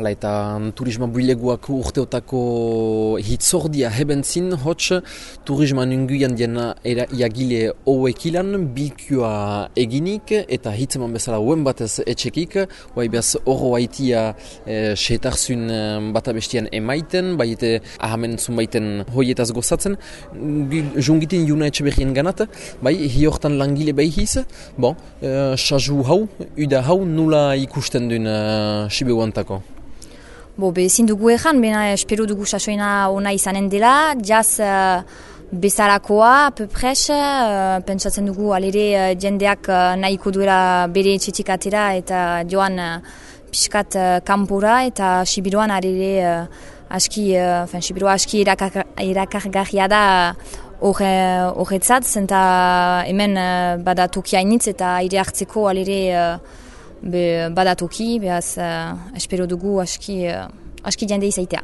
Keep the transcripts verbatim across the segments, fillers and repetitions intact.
Hala eta turisma buileguak urteotako hitzordia hebentzin, hots turisma nunguian diena era iagile hauekilan bilkua eginik eta hitzeman bezala uen batez etxekik, bai behaz horro haitia e, setarzun bata bestian emaiten, bai eta ahamen zunbaiten hoietaz gozatzen, jungitin juna etxe berrien ganat, bai hiortan langile behiz, bon, e, saju hau, uda hau nula ikusten duen uh, Sibeuantako. Bo, be, ezin dugu egan, bena espero dugu sasoina ona izanen dela, jaz uh, bezalakoa, pepres, uh, pentsatzen dugu alere uh, jendeak uh, nahiko duela bere etxetik atera eta joan uh, pixkat uh, kanpora eta Sibiruan alere uh, aski, uh, fin, Sibirua aski erakargarria da horretzat, zenta hemen uh, bada tokia initz eta aire hartzeko alere uh, Be, badatoki, behaz, uh, espero dugu aski, uh, aski jende izaitea.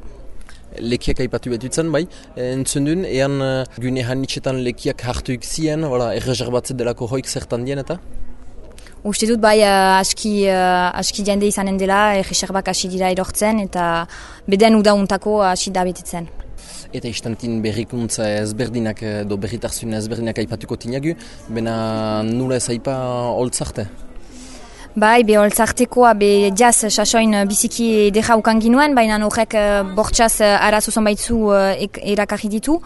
Lekiak aipatu betutzen, bai, entzun duen, ean uh, gune hanitxetan lekiak hartuik zien, erreserbatzen delako hoik zertan dien eta? Uste dut, bai, uh, aski, uh, aski jende izanen dela, erreserbak hasi dira erortzen, eta beden udauntako hasi da betetzen. Eta istantin berrikuntza ezberdinak, do berritarzun ezberdinak aipatuko tinagu, bena nula ez aipa holtzarte? Bai, be holtzartekoa, be jaz sasoin biziki deja ukan ginuen, baina horrek bortxaz arazo zonbaitzu erakarri ditu.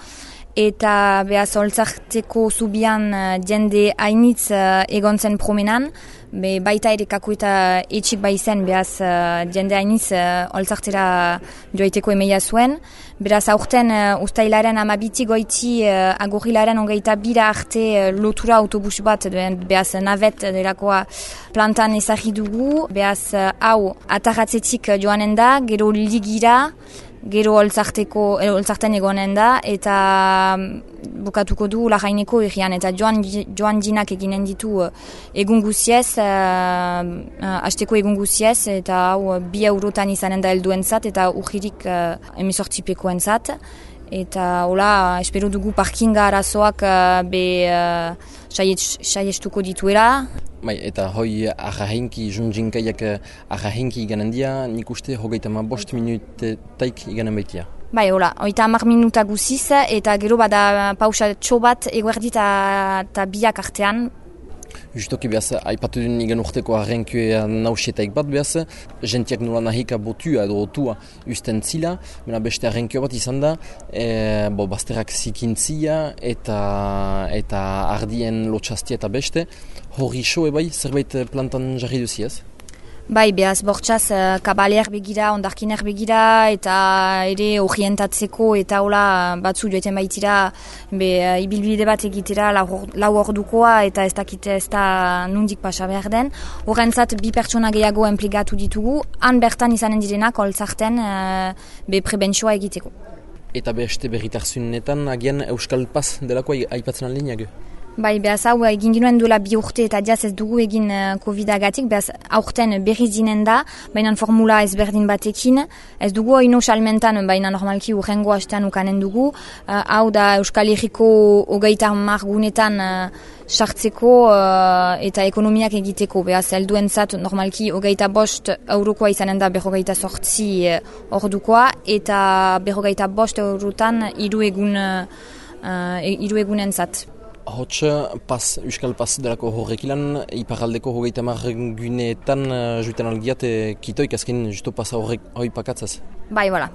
Eta behaz holtzarteko zubian jende hainitz egon zen promenan, be baita ere kaku eta etxik bai zen, behaz jende hainitz holtzartera joaiteko emeia zuen. Beraz aurten ustailaren amabitik goiti agorilaren ongeita bira arte lotura autobus bat, behaz navet delakoa plantan ezagri dugu, behaz hau atarratzetik joanen da, gero ligira, gero holtzarteko, holtzarten egonen da, eta bukatuko du Larraineko herrian, eta joan, joan jinak eginen ditu egun guziez, uh, hasteko egun guziez, eta hau bi eurotan izanen da helduentzat, eta urririk uh, emezortzipekoen zat. Eta hola, espero dugu parkinga arazoak uh, be uh, saiestuko dituela. Bai, eta hoi arrahenki, junjinkaiak arrahenki iganen dia, nik uste hogeita ma bost minutetaik iganen baitia. Bai, hola, hogeita hamar minuta guziz, eta gero bada pausa txobat eguerdi eta biak artean. Justoki behaz, aipatu duen igan urteko arrenkioa nausietaik bat behaz, jentiak nola nahika botua edo otua usten zila, mena beste arrenkio bat izan da, e, bo, bazterrak zikintzia eta, eta ardien lotxastia eta beste, hori soe bai, zerbait plantan jarri duziaz? Bai, behaz, bortxaz, kabaleak begira, ondarkinak begira, eta ere orientatzeko, eta hola batzu joeten baitira, be, ibilbide bat egitera lau ordukoa, eta ez dakite ez da nundik pasa behar den. Horrentzat, bi pertsona gehiago enpligatu ditugu, han bertan izanen direnak, holtzarten, be, prebentzioa egiteko. Eta beste berritarzunetan, agian Euskal Paz delako aipatzen aldinak? Bai, behaz hau egin ginuen duela bi urte eta jaz ez dugu egin uh, COVID-agatik, behaz aurten berriz dinen da, baina formula ezberdin batekin, ez dugu oino salmentan, baina normalki urrengo hastean ukanen dugu, uh, hau da Euskal Herriko hogeita hamar gunetan sartzeko uh, eta ekonomiak egiteko, behaz helduentzat normalki hogeita bost eurokoa izanen da berrogeita sortzi uh, ordukoa, eta berrogeita bost eurotan hiru egun, uh, hiru egunentzat. Hots, pas, Euskal Paz delako horrekilan, iparaldeko hogeita mar guneetan uh, juiten algiat kitoik azken justo pasa horrek hoi pakatzaz. Bai, voilà.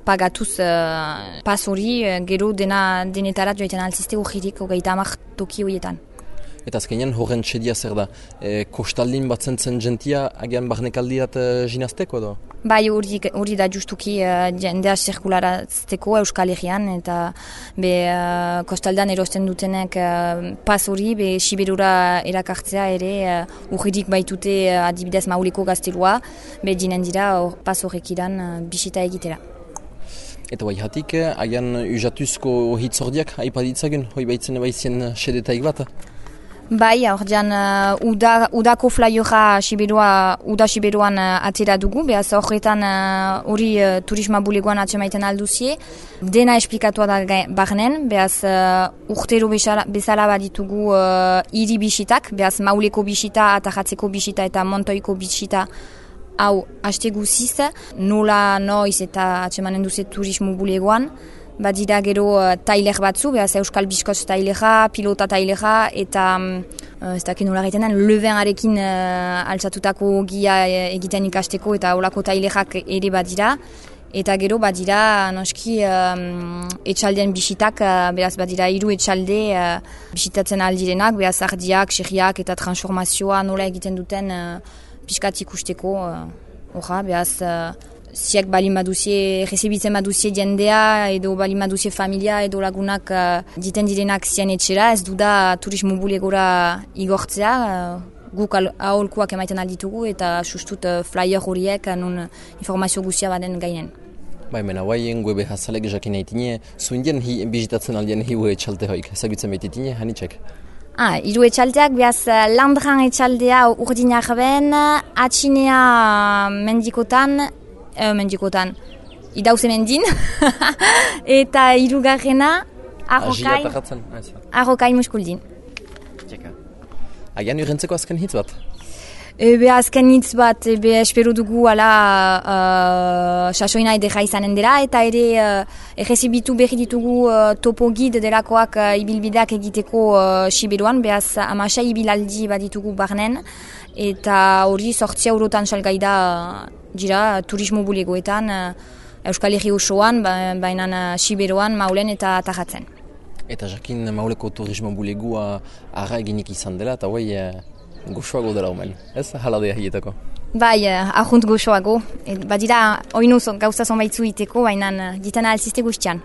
Pagatuz uh, pas hori, gero dena denetarat joiten alzizte horririk hogeita mar toki horietan. Eta azkenean horren txedia zer da, e, kostaldin bat zentzen jentia agian barnekaldiat uh, jinazteko edo? Bai, hori da justuki uh, jendea zirkularazteko Euskal Herrian, eta be, uh, kostaldan erosten dutenek uh, pas hori, be Sibirura erakartzea ere, uh, urridik baitute uh, adibidez Mauleko gaztelua, be jinen dira or, pas horrek iran uh, bisita egitera. Eta bai hatik, agian usatuzko hitzordiak aipaditzagun, hoi baitzen baizien sedetaik bat? Bai, ordean uh, uda, udako flaiora Sibirua, uda Sibiruan uh, atera dugu, behaz horretan hori uh, uh, turisma bulegoan atsemaiten alduzie. Dena esplikatua da barnen, behaz uh, urtero bezala, bezala baditugu uh, iri bisitak, behaz Mauleko bisita, Atajatzeko bisita eta Montoiko bisita hau haste guziz, nola noiz eta atsemanen duze turismo bulegoan, badira gero uh, tailer batzu, behaz Euskal Biskoz tailera, pilota tailera, eta uh, ez dakit nola gaiten den, levenarekin uh, altzatutako gia egiten ikasteko eta olako tailerak ere badira. Eta gero badira noski um, etxaldeen bisitak, uh, beraz badira hiru etxalde uh, bisitatzen aldirenak, beraz ardiak, xerriak eta transformazioa nola egiten duten uh, piskat ikusteko. Horra, uh, beraz, uh, ziek balin baduzie, rezebitzen baduzie jendea, edo balin baduzie familia, edo lagunak uh, diten direnak zien etxera, ez duda turismo bulegora igortzea, uh, guk aholkuak emaiten alditugu eta sustut uh, flyer horiek uh, nun informazio guztia baden gainen. Bai, mena, guaien webe hazalek jakin haitine, zuindien hi, bizitatzen aldien hiu etxalte hoik, ezagutzen behititine, hanitzek? Ah, hiru etxaldeak, behaz Landran etxaldea urdinak ben, atxinea mendikotan, eh, mendikotan, idauze mendin, eta hirugarrena arrokai, arrokai muskuldin. Txeka. Agian urentzeko azken hitz bat? Ebe azken hitz bat, ebe espero dugu ala uh, sasoina edera izanen dela, eta ere uh, errezibitu berri ditugu uh, topo gid delakoak uh, ibilbideak egiteko uh, Siberuan, behaz amasai ibilaldi bat ditugu barnen, eta hori sortzia eurotan salgaida uh, dira turismo bulegoetan, uh, Euskal Herri osoan, baina uh, Siberuan, Maulen eta Tarratzen. Eta jakin Mauleko turismo bulegua arra eginik izan dela, eta guai uh, goxoago dela omen, ez? Haladea hietako. Bai, uh, ahunt goxoago. Badira, oinu gauza zonbaitzu iteko, baina uh, ditana alzizte guztian.